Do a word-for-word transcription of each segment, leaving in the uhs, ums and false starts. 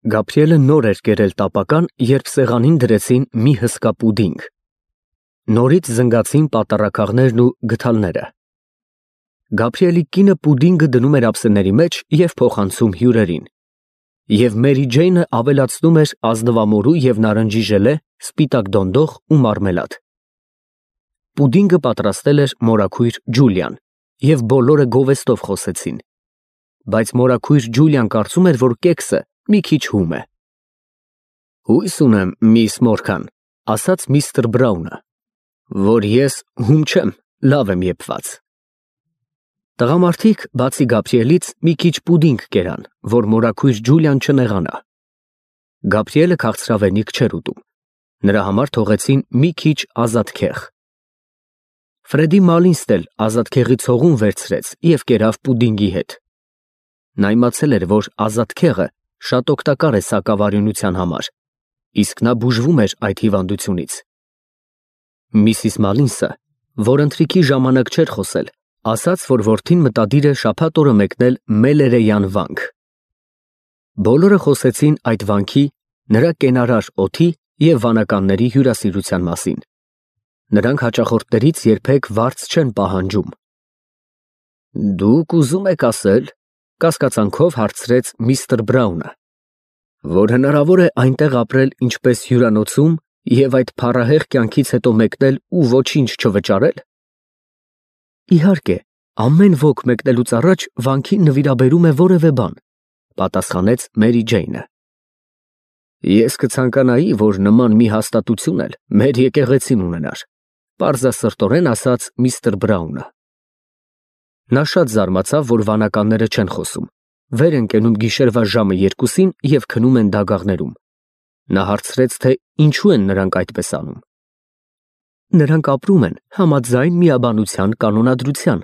Գաբրիելը նոր էր կերել տապական, երբ սեղանին դրեցին մի հսկա պուդինգ։ Նորից զնգացին պատառաքաղներն ու գդալները։ Գաբրիելի կինը պուդինգը դնում էր ափսեների մեջ և փոխանցում հյուրերին, և Մերի Ջեյնը ավելացնում էր ազնվամորու և նարնջի ժելե, սպիտակ դոնդող ու մարմելադ։ Պուդինգը պատրաստել էր մորաքույր Ջուլիան, և բոլորը գովեստով խոսեցին, բայց մորաքույր Ջուլիան կարծում էր, որ կեքսը մի քիչ հում է։ Հույս ունեմ, միս Մորգան, ասաց միստր Բրաունը, որ ես հում չեմ, լավ եմ եփված։ Տղամարդիկ, բացի Գաբրիելից, մի քիչ պուդինգ կերան, որ մորաքույր Ջուլիան չնեղանա։ Գաբրիելը քաղցրավենիք չէր ուտում, նրա համար թողեցին մի քիչ ազատքեղ։ Ֆրեդի Մալինսն էլ ազատքեղի ցողուն վերցրեց և կերավ պուդինգի հետ։ Նա իմացել էր, որ ազատքեղը շատ օգտակար է սակավարյունության համար, իսկ նա բուժվում էր այդ հիվանդությունից։ Միսիս Մալինսը, որ ընթրիքի ժամանակ չէր խոսել, ասաց, որ որդին մտադիր է շաբաթ օրը մեկնել Մելերեյան վանք։ Բոլորը խոսեցին այդ վանքի, նրա կենարար օդի և վանականների հյուրասիրության մասին։ Նրանք հաճախորդներից երբեք վարձ չեն պահանջում։ Դուք ուզում եք ասել, կասկածանքով հարցրեց միստր Բրաունը, որ հնարավոր է այնտեղ ապրել ինչպես հյուրանոցում և այդ փառահեղ կյանքից հետո մեկնել ու ոչինչ չվճարել։ Իհարկե, ամեն ոք մեկնելուց առաջ վանքին նվիրաբերում է որևէ բան, պատասխանեց Մերի Ջեյնը։ Ես կցանկանայի, որ նման մի հաստատություն էլ մեր եկեղեցին ունենար, պարզասրտորեն ասաց միստր Բրաունը։ Նա շատ զարմացավ, որ վանականները չեն խոսում, վեր են կենում գիշերվա ժամը երկուսին և քնում են դագաղներում։ Նա հարցրեց, թե ինչու են նրանք այդպես անում։ Նրանք ապրում են համաձայն միաբանության կանոնադրության,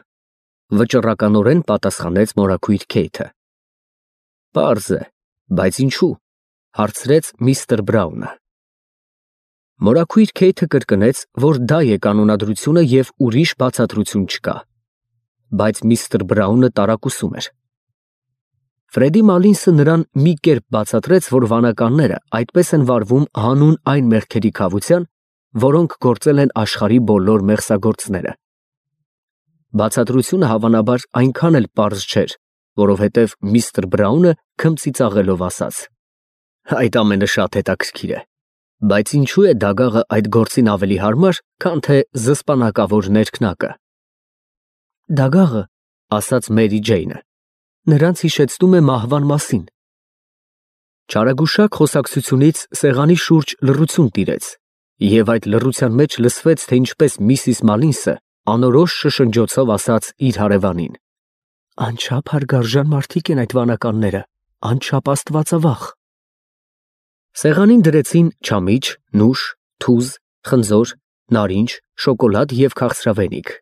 վճռականորեն պատասխանեց մորաքույր Քեյթը։ Պարզ է, բայց ինչու, հարցրեց միստր Բրաունը։ Մորաքույր Քեյթը կրկնեց, որ դա է կանոնադրությունը և ուրիշ բացատրություն չկա, բայց միստր Բրաունը տարակուսում էր։ Ֆրեդի Մալինսը նրան մի կերպ բացատրեց, որ վանականները այդպես են վարվում հանուն այն մեղքերի քավության, որոնք գործել են աշխարհի բոլոր մեղսագործները։ Բացատրությունը հավանաբար այնքան էլ պարզ չէր, որովհետև միստր Բրաունը քմծիծաղելով ասաց. Այդ ամենը շատ հետաքրքիր է, բայց ինչու է դագաղը այդ գործին ավելի հարմար, քան թե զսպանակավոր ներքնակը։ Դագաղը, ասաց Մերի Ջեյնը, նրանց հիշեցնում է մահվան մասին։ Չարագուշակ խոսակցությունից սեղանի շուրջ լռություն տիրեց, և այդ լռության մեջ լսվեց, թե ինչպես միսիս Մալինսը անորոշ շշնջոցով ասաց իր հարևանին. Անչափ հարգարժան մարդիկ են այդ վանականները, անչափ աստվածավախ։ Սեղանին դրեցին չամիչ, նուշ, թուզ, խնձոր, նարինջ, շոկոլադ և քաղցրավենիք։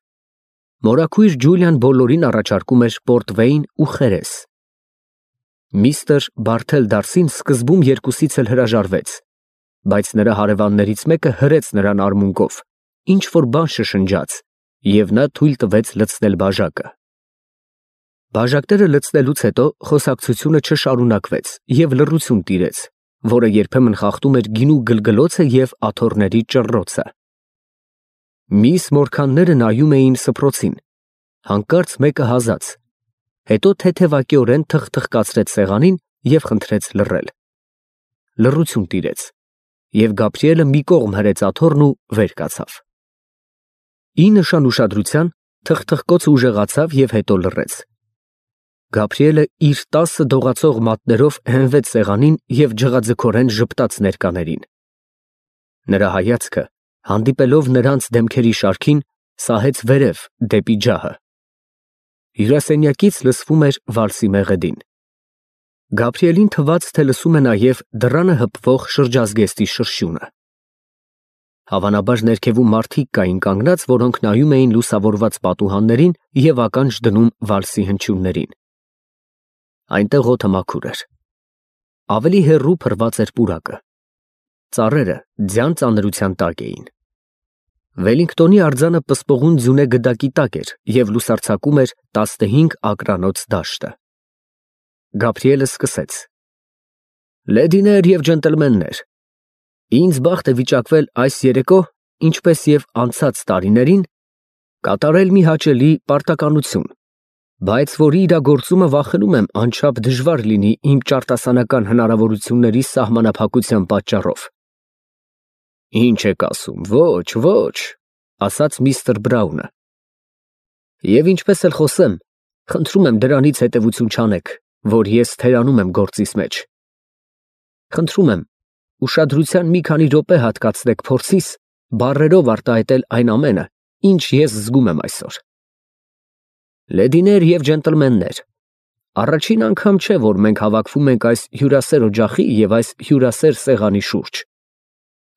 Մորաքույր Ջուլիան բոլորին առաջարկում էր պորտվեյն ու խերես։ Միստր Բարթել Դարսին սկզբում երկուսից էլ հրաժարվեց, բայց նրա հարևաններից մեկը հրեց նրան արմունկով, ինչ-որ բան շշնջաց, և նա թույլ տվեց լցնել բաժակը։ Բաժակները լցնելուց հետո խոսակցությունը չշարունակվեց և լռություն տիրեց, որը երբեմն խախտում էր գինու գլգլոցը և աթոռների ճռռոցը։ Միս Մորգանները նայում էին սփռոցին, հանկարծ մեկը հազաց, հետո թեթևակիորեն թխթխկացրեց սեղանին և խնդրեց լռել։ Լռություն տիրեց, և Գաբրիելը մի կողմ հրեց աթոռն ու վեր կացավ։ Ի նշան ուշադրության թխթխկոցը ուժեղացավ և հետո լռեց։ Գաբրիելը իր տասը դողացող մատներով հենվեց սեղանին և ջղաձգորեն ժպտաց ներկաներին։ Նրա հայացքը, հանդիպելով նրանց դեմքերի շարքին, սահեց վերև դեպի ջահը։ Հյուրասենյակից լսվում էր վալսի մեղեդին։ Գաբրիելին թվաց, թե լսում է նաև դռանը հպվող շրջազգեստի շրշյունը։ Հավանաբար ներքևում մարդիկ կային կանգնած, որոնք նայում էին լուսավորված պատուհաններին և ականջ դնում վալսի հնչյուններին։ Այնտեղ օդը մաքուր էր։ Ավելի հեռու փռված էր պուրակը։ Ծառերը ձյան ծանրության տակ էին։ Վելինգտոնի արձանը պսպղուն ձյունե գդակի տակ էր և լուսարձակում էր տասնհինգ ակրանոց դաշտը։ Գաբրիելը սկսեց. Լեդիներ և ջենտլմեններ, ինձ բախտ է վիճակվել այս երեկո, ինչպես և անցած տարիներին, կատարել մի հաճելի պարտականություն, բայց որի իրագործումը վախենում եմ անչափ դժվար լինի իմ ճարտասանական հնարավորությունների սահմանափակության պատճառով։ Ինչ եք ասում, ոչ, ոչ, ասաց միստր Բրաունը։ Եվ ինչպես էլ խոսեմ, խնդրում եմ դրանից հետևություն չանեք, որ ես թերանում եմ գործիս մեջ։ Խնդրում եմ, ուշադրության մի քանի րոպե հատկացրեք փորձիս բառերով արտահայտել այն ամենը, ինչ ես զգում եմ այսօր։ Լեդիներ և ջենտլմեններ, առաջին անգամ չէ, որ մենք հավաքվում ենք այս հյուրասեր օջախի և այս հյուրասեր սեղանի շուրջ։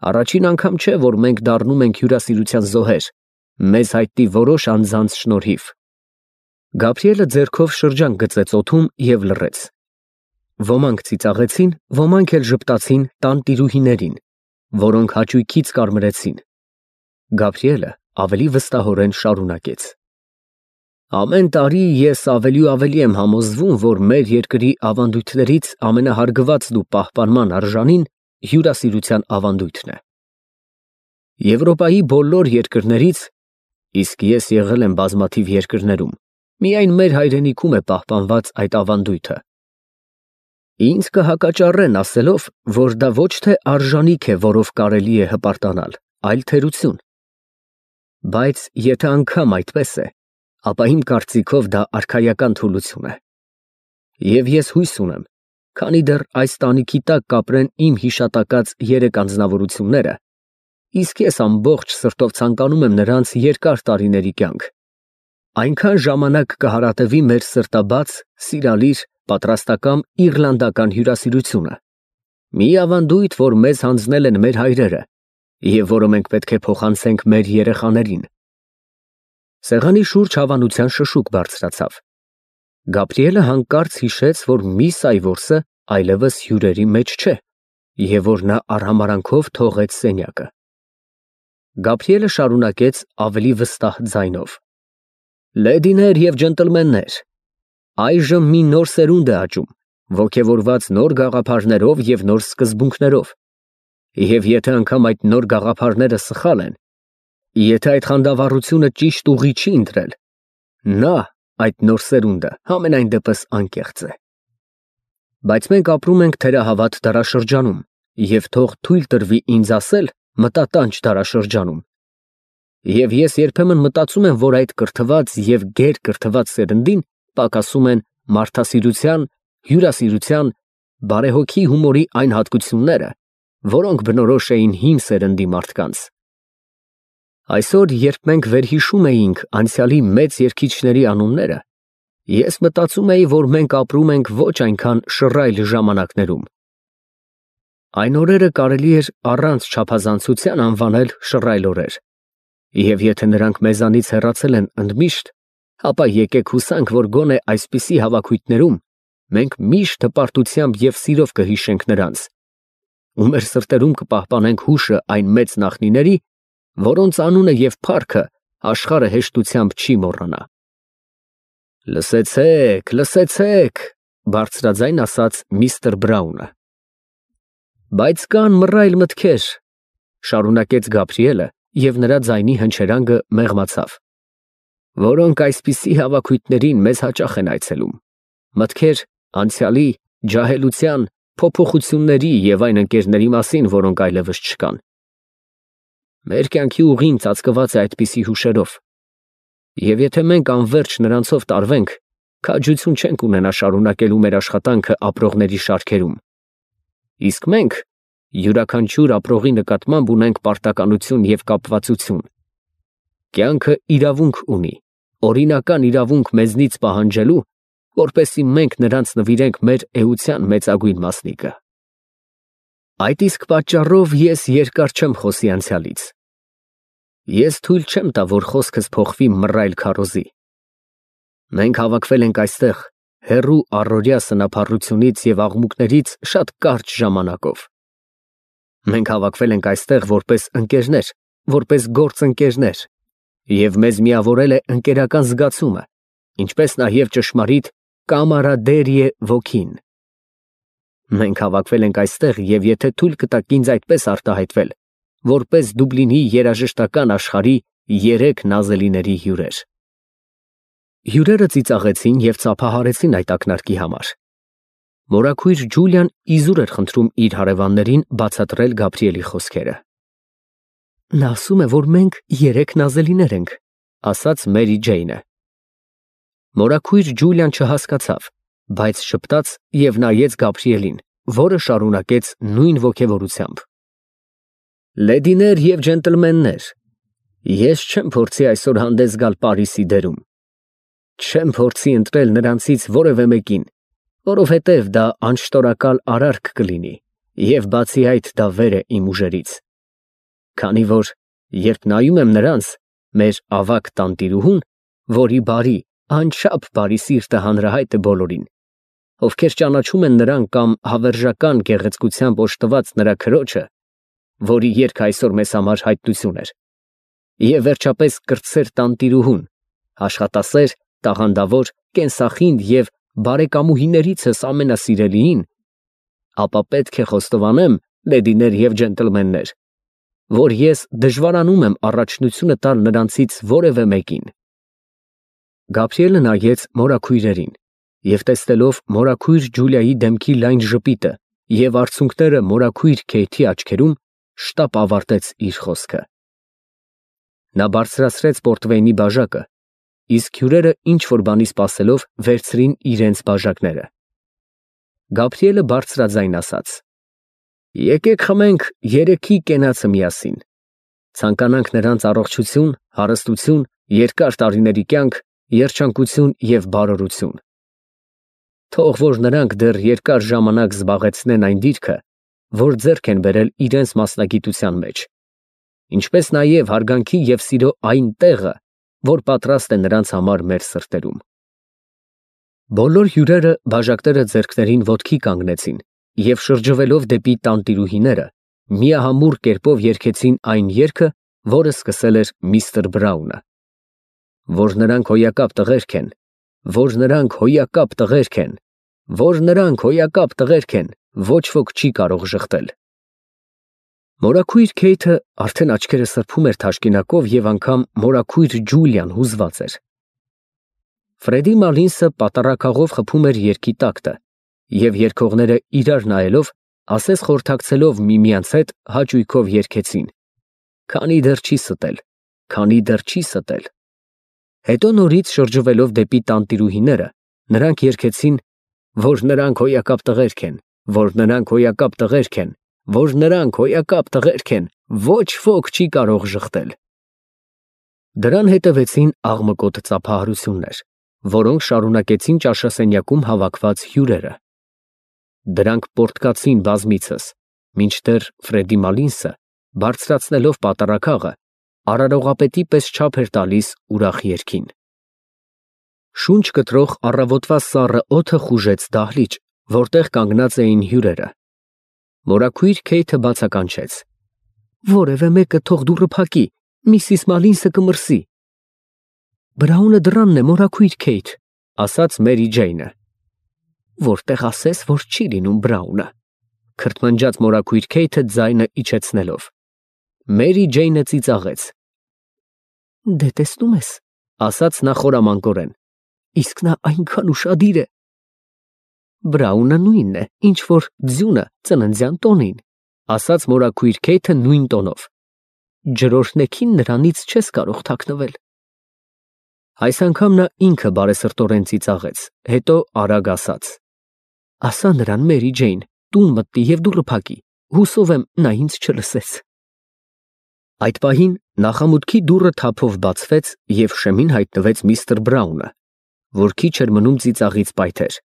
Առաջին անգամ չէ, որ մենք դառնում ենք հյուրասիրության զոհեր, մեզ հայտնի որոշ անձանց շնորհիվ։ Գաբրիելը ձեռքով շրջանք գծեց օդում և լռեց։ Ոմանք ծիծաղեցին, ոմանք էլ ժպտացին տանտիրուհիներին, որոնք հաճույքից կարմրեցին։ Գաբրիելը ավելի վստահորեն շարունակեց. Ամեն տարի ես ավելի ու ավելի եմ համոզվում, որ մեր երկրի ավանդույթներից ամենահարգվածն ու պահպանման արժանին հյուրասիրության ավանդույթն է։ Եվրոպայի բոլոր երկրներից, իսկ ես եղել եմ բազմաթիվ երկրներում, միայն մեր հայրենիքում է պահպանված այդ ավանդույթը։ Ինձ կհակաճառեն ասելով, որ դա ոչ թե արժանիք է, որով կարելի է հպարտանալ, այլ թերություն։ Բայց եթե անգամ այդպես է, ապա իմ կարծիքով դա արքայական թուլություն է։ Եվ ես հույս ունեմ, քանի դեռ այս տանիքի տակ կապրեն իմ հիշատակած երեք անձնավորությունները, իսկ ես ամբողջ սրտով ցանկանում եմ նրանց երկար տարիների կյանք, այնքան ժամանակ կհարատևի մեր սրտաբաց, սիրալիր, պատրաստակամ իռլանդական հյուրասիրությունը, մի ավանդույթ, որ մեզ հանձնել են մեր հայրերը և որը մենք պետք է փոխանցենք մեր երեխաներին։ Սեղանի շուրջ հավանության շշուկ բարձրացավ։ Գաբրիելը հանկարծ հիշեց, որ միս Այվորսը այլևս հյուրերի մեջ չէ և որ նա արհամարհանքով թողեց սենյակը։ Գաբրիելը շարունակեց ավելի վստահ ձայնով. Լեդիներ և ջենտլմեններ, այժմ մի նոր սերունդ է աճում, ոգևորված նոր գաղափարներով և նոր սկզբունքներով, և եթե անգամ այդ նոր գաղափարները սխալ են, եթե այդ խանդավառությունը ճիշտ ուղի չի ընտրել, նա, այդ նոր սերունդը, համենայն դեպս անկեղծ է։ Բայց մենք ապրում ենք թերահավատ դարաշրջանում, և թող թույլ տրվի ինձ ասել մտատանչ դարաշրջանում, և ես երբեմն մտածում եմ, որ այդ կրթված և գերկրթված սերնդին պակասում են մարդասիրության, հյուրասիրության, բարեհոգի հումորի այն հատկությունները, որոնք բնորոշ էին հին սերնդի մարդկանց։ Այսօր, երբ մենք վերհիշում էինք անցյալի մեծ երգիչների անունները, ես մտածում էի, որ մենք ապրում ենք ոչ այնքան շռայլ ժամանակներում։ Այն օրերը կարելի էր առանց չափազանցության անվանել շռայլ օրեր, և եթե նրանք մեզանից հեռացել են ընդմիշտ, ապա եկեք հուսանք, որ գոնե այսպիսի հավաքույթներում մենք միշտ հպարտությամբ և սիրով կհիշենք նրանց, ու մեր սրտերում կպահպանենք հուշը այն մեծ նախնիների, որոնց անունը և փառքը աշխարհը հեշտությամբ չի մոռանա։ Լսեցե՛ք, լսեցե՛ք, բարձրաձայն ասաց միստր Բրաունը։ Բայց կան մռայլ մտքեր, շարունակեց Գաբրիելը, և նրա ձայնի հնչերանգը մեղմացավ, որոնք այսպիսի հավաքույթներին մեզ հաճախ են այցելում, մտքեր անցյալի, ջահելության, փոփոխությունների և այն ընկերների մասին, որոնք այլևս չկան։ Մեր կյանքի ուղին ծածկված է այդպիսի հուշերով, և եթե մենք անվերջ նրանցով տարվենք, քաջություն չենք ունենա շարունակելու մեր աշխատանքը ապրողների շարքերում, իսկ մենք յուրաքանչյուր ապրողի նկատմամբ ունենք պարտականություն և կապվածություն։ Կյանքը իրավունք ունի, օրինական իրավունք մեզնից պահանջելու, որպեսզի մենք նրանց նվիրենք մեր էության մեծագույն մասնիկը։ Այդ իսկ պատճառով ես երկար չեմ խոսի անցյալից։ Ես թույլ չեմ տա, որ խոսքս փոխվի մռայլ քարոզի։ Մենք հավաքվել ենք այստեղ հեռու առօրյա սնափառությունից և աղմուկներից շատ կարճ ժամանակով։ Մենք հավաքվել ենք այստեղ որպես ընկերներ, որպես գործընկերներ, և մեզ միավորել է ընկերական զգացումը, ինչպես նաև ճշմարիտ կամարադերիե ոգին։ Մենք հավաքվել ենք այստեղ և եթե թույլ կտաք ինձ այդպես արտահայտվել, որպես Դուբլինի երաժշտական աշխարհի երեք նազելիների հյուրեր։ Հյուրերը ծիծաղեցին և ծափահարեցին այդ ակնարկի համար։ Մորաքույր Ջուլիան իզուր էր խնդրում իր հարևաններին բացատրել Գաբրիելի խոսքերը։ Նա ասում է, որ մենք երեք նազելիներ ենք, ասաց Մերի Ջեյնը։ Մորաքույր Ջուլիան չհասկացավ, բայց շփտաց և նայեց Գաբրիելին, որը շարունակեց նույն ոգևորությամբ. Լեդիներ և ջենտլմեններ, ես չեմ փորձի այսօր հանդես գալ Պարիսի դերում։ Չեմ փորձի ընտրել նրանցից որևէ մեկին, որովհետև դա անշտորակալ արարք կլինի, և բացի այդ դա վեր է իմ ուժերից։ Քանի որ, երբ նայում եմ նրանց, մեր ավագ տանտիրուհուն, որի բարի, անչափ բարի սիրտը հանրահայտ է բոլորին, ովքեր ճանաչում են նրան կամ հավերժական գեղեցկությամբ օժտված նրա քրոջը, որի երգը այսօր մեզ համար հայտնություն էր, և վերջապես կրտսեր տանտիրուհուն, աշխատասեր, տաղանդավոր, կենսախինդ և բարեկամուհիներիցս ամենասիրելիին, ապա պետք է խոստովանեմ, լեդիներ և ջենտլմեններ, որ ես դժվարանում եմ առաջնությունը տալ նրանցից որևէ մեկին։ Գաբրիելը նայեց մորաքույրերին և տեսնելով մորաքույր Ջուլիայի դեմքի լայն ժպիտը և արցունքները մորաքույր Քեյթի աչքերում, շտապ ավարտեց իր խոսքը։ Նա բարձրացրեց պորտվեյնի բաժակը, իսկ հյուրերը ինչ֊որ բանի սպասելով վերցրին իրենց բաժակները։ Գաբրիելը բարձրաձայն ասաց. Եկեք խմենք երեքի կենացը միասին, ցանկանանք նրանց առողջություն, հարստություն, երկար տարիների կյանք, երջանկություն և բարօրություն։ Թող որ նրանք դեռ երկար ժամանակ զբաղեցնեն այն դիրքը, որ ձեռք են բերել իրենց մասնագիտության մեջ, ինչպես նաև հարգանքի և սիրո այն տեղը, որ պատրաստ է նրանց համար մեր սրտերում։ Բոլոր հյուրերը բաժակները ձեռքներին ոտքի կանգնեցին և շրջվելով դեպի տանտիրուհիները, միահամուռ կերպով երգեցին այն երգը, որը սկսել էր միստր Բրաունը։ Որ նրանք հոյակապ տղերք են, որ նրանք հոյակապ տղերք են, որ նրանք հոյակապ տղերք են, ոչ ոք չի կարող ժխտել։ Մորաքույր Քեյթը արդեն աչքերը սրբում էր թաշկինակով և անգամ մորաքույր Ջուլիան հուզված էր։ Ֆրեդի Մալինսը պատառաքաղով խփում էր երգի տակտը, և երգողները իրար նայելով, ասես խորհրդակցելով միմյանց հետ, հաճույքով երգեցին. Քանի դեռ չի ստել, քանի դեռ չի ստել։ Հետո նորից շրջվելով դեպի տանտիրուհիները, նրանք երգեցին, որ նրանք հոյակապ տղերք են, որ նրանք հոյակապ տղերք են, որ նրանք հոյակապ տղերք են, ոչ ոք չի կարող ժխտել։ Դրան հետևեցին աղմկոտ ծափահարություններ, որոնք շարունակեցին ճաշասենյակում հավաքված հյուրերը։ Դրանք պոռթկացին բազմիցս, մինչդեռ Ֆրեդի Մալինսը, բարձրացնելով պատառաքաղը, արարողապետի պես չափ էր տալիս ուրախ երգին։ Շունչ կտրող առավոտվա սառը օդը խուժեց դահլիճ, որտեղ կանգնած էին հյուրերը։ Մորաքույր Քեյթը բացականչեց. Որևէ մեկը թող դուռը փակի, միսիս Մալինսը կմրսի։ Բրաունը դռանն է, մորաքույր Քեյթ, ասաց Մերի Ջեյնը։ Որտեղ ասես, որ չի լինում Բրաունը, քրթմնջաց մորաքույր Քեյթը ձայնը իջեցնելով։ Մերի Ջեյնը ծիծաղեց։ Դե տեսնում ես, ասաց նա խորամանկորեն, իսկ նա այնքան ուշադիր է։ Բրաունը նույնն է, ինչ որ ձյունը ծննդյան տոնին, ասաց մորաքույր Քեյթը նույն տոնով։ Ջրօրհնեքին նրանից չես կարող թաքնվել։ Այս անգամ նա ինքը բարեսրտորեն ծիծաղեց, հետո արագ ասաց. Ասա նրան, Մերի Ջեյն, տուն մտնի և դուռը փակի, հուսով եմ նա ինձ չլսեց։ Այդ պահին նախամուտքի դուռը թափով բացվեց և շեմին հայտնվեց միստր Բրաունը, որ քիչ էր մնում ծիծաղից պայթեր։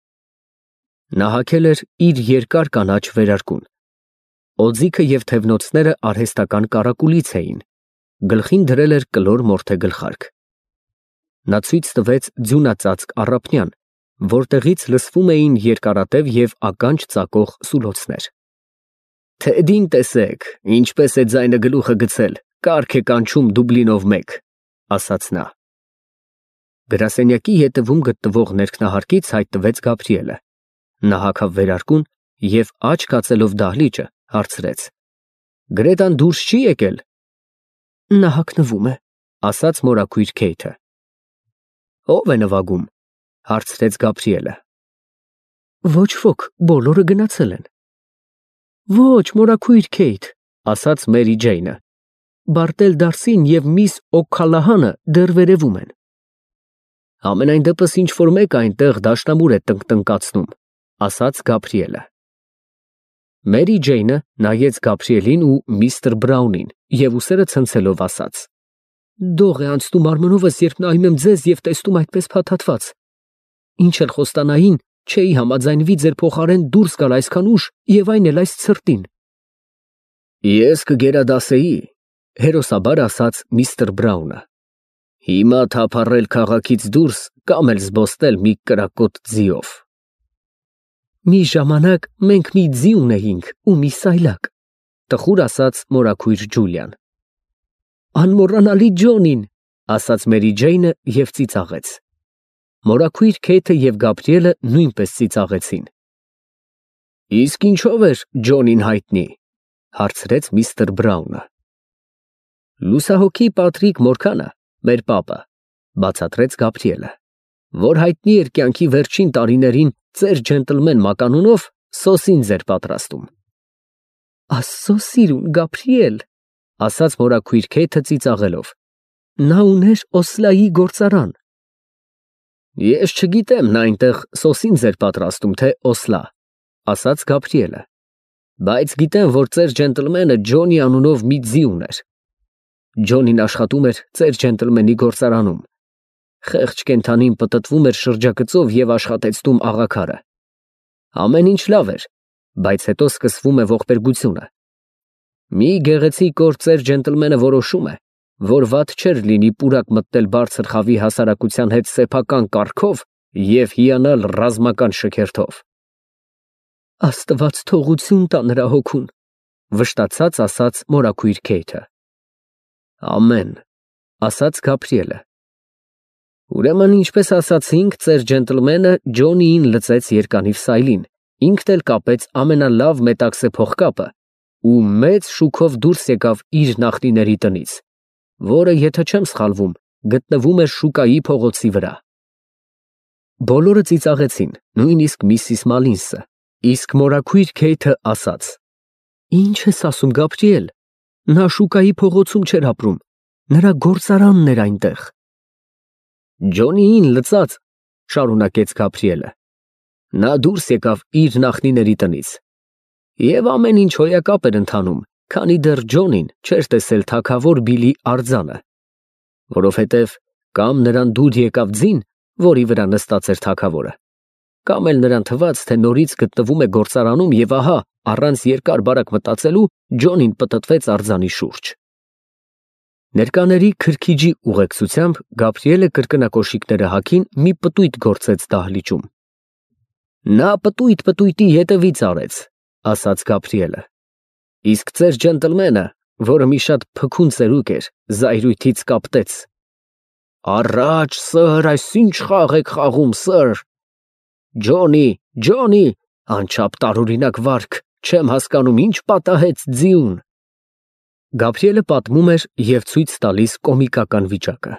Նա հագել էր իր երկար կանաչ վերարկուն։ Օձիքը և թևնոցները արհեստական կարակուլից էին, գլխին դրել էր կլոր մորթե գլխարկ։ Նա ցույց տվեց ձյունածածկ առափնյան, որտեղից լսվում էին երկարատև և ականջ ծակող սուլոցներ։ Թեդին տեսեք, ինչպես է ձայնը գլուխը գցել, կառք է կանչում Դուբլինով մեկ, ասաց նա։ Գրասենյակի ետևում գտնվող ներքնահարկից հայտնվեց Գաբրիելը։ Նա հագավ վերարկուն և աչք հացելով դահլիճը, հարցրեց. Գրետան դուրս չի եկել։ Նա հագնվում է, ասաց մորաքույր Քեյթը։ Ո՞վ է նվագում, հարցրեց Գաբրիելը։ Ոչ ոք, բոլորը գնացել են։ Ոչ, մորաքույր Քեյթ, ասաց Մերի Ջեյնը։ Բարտել Դարսին և միս Օ'Քալահանը դեռ վերևում են։ Ամենայն դեպս ինչ որ մեկ այնտեղ դաշնամուր է տնկտնկացնում, ասաց Գաբրիելը։ Մերի Ջեյնը նայեց Գաբրիելին ու միստր Բրաունին և ուսերը ցնցելով ասաց. Դող է անցնում արմունովս, երբ նայում եմ ձեզ և տեսնում այդպես փաթաթված։ Ինչ էլ խոստանային, չէի համաձայնվի ձեր փոխարեն դուրս գալ այսքան ուշ և այն էլ այս ցրտին։ Ես կգերադասեի, հերոսաբար ասաց միստր Բրաունը։ Հիմա թափառել քաղաքից դուրս կամ էլ զբոսնել մի կրակոտ ձիով։ Մի ժամանակ մենք մի ձի ունեինք ու մի սայլակ, տխուր ասաց մորաքույր Ջուլիան։ Անմոռանալի Ջոնին, ասաց Մերի Ջեյնը և ծիծաղեց։ Մորաքույր Քեյթը և Գաբրիելը նույնպես ծիծաղեցին։ Իսկ ինչով էր Ջոնին հայտնի, հարցրեց միստր Բրաունը։ Լուսահոգի Պատրիկ Մորքանը, մեր պապը, բացատրեց Գաբրիելը, որ հայտնի էր կյանքի վերջին տարիներին ծեր ջենտլմեն մականունով սոսին ձեր պատրաստում։ Աստծո սիրուն Գաբրիել, ասաց մորաքույր Քեյթը ծիծաղելով։ Նա ուներ Օսլայի գործարան։ Ես չգիտեմ նա այնտեղ սոսին ձեր պատրաստում, թե Օսլա, ասաց Գաբրիելը, բայց գիտեմ, որ ծեր ջենտլմենը Ջոնի անունով մի ձի ուներ։ Ջոնին աշխատում էր ծեր ջենտլմենի գործարանում։ Խեղճ կենդանին պտտվում էր շրջագծով և աշխատեցնում աղաքարը։ Ամեն ինչ լավ էր, բայց հետո սկսվում է ողբերգությունը։ Մի գեղեցիկ օր ծեր ջենտլմենը որոշում է, որ վատ չէր լինի պուրակ մտնել բարձր խավի հասարակության հետ սեփական կարգով և հիանալ ռազմական շքերթով։ Աստված թողություն տա նրա հոգուն, վշտացած ասաց մորաքույր Քեյթը։ Ամեն, ասաց Գաբրիելը։ Ուրեմն, ինչպես ասացինք, ծեր ջենտլմենը Ջոնիին լծեց երկանիվ սայլին, ինքն էլ կապեց ամենալավ մետաքսե փողկապը ու մեծ շուքով դուրս եկավ իր նախնիների տնից, որը, եթե չեմ սխալվում, գտնվում էր շուկայի փողոցի վրա։ Բոլորը ծիծաղեցին, նույնիսկ միսիս Մալինսը, իսկ մորաքույր Քեյթը ասաց. Ինչ ես ասում, Գաբրիել, նա շուկայի փողոցում չէր ապրում, նրա գործարանն էր այնտեղ։ Ջոնիին լծած, շարունակեց Գաբրիելը, նա դուրս եկավ իր նախնիների տնից, և ամեն ինչ հոյակապ էր ընթանում, քանի դեռ Ջոնին չէր տեսել թագավոր Բիլի արձանը, որովհետև կամ նրան դուր եկավ ձին, որի վրա նստած էր թագավորը, կամ էլ նրան թվաց, թե նորից գտնվում է գործարանում և ահա, առանց երկար բարակ մտածելու, Ջոնին պտտվեց արձանի շուրջ։ Ներկաների քրքիջի ուղեկցությամբ Գաբրիելը կրկնակոշիկները հագին մի պտույտ գործեց դահլիճում։ Նա պտույտ պտույտի ետևից արեց, ասաց Գաբրիելը, իսկ ծեր ջենտլմենը, որը մի շատ փքուն ծերուկ էր, զայրույթից կապտեց։ Առաջ, սըր, այս ինչ խաղ եք խաղում, սըր։ Ջոնի, Ջոնի, անչափ տարօրինակ վարք, չեմ հասկանում, ինչ պատահեց ձիուն։ Գաբրիելը պատմում էր և ցույց տալիս կոմիկական վիճակը։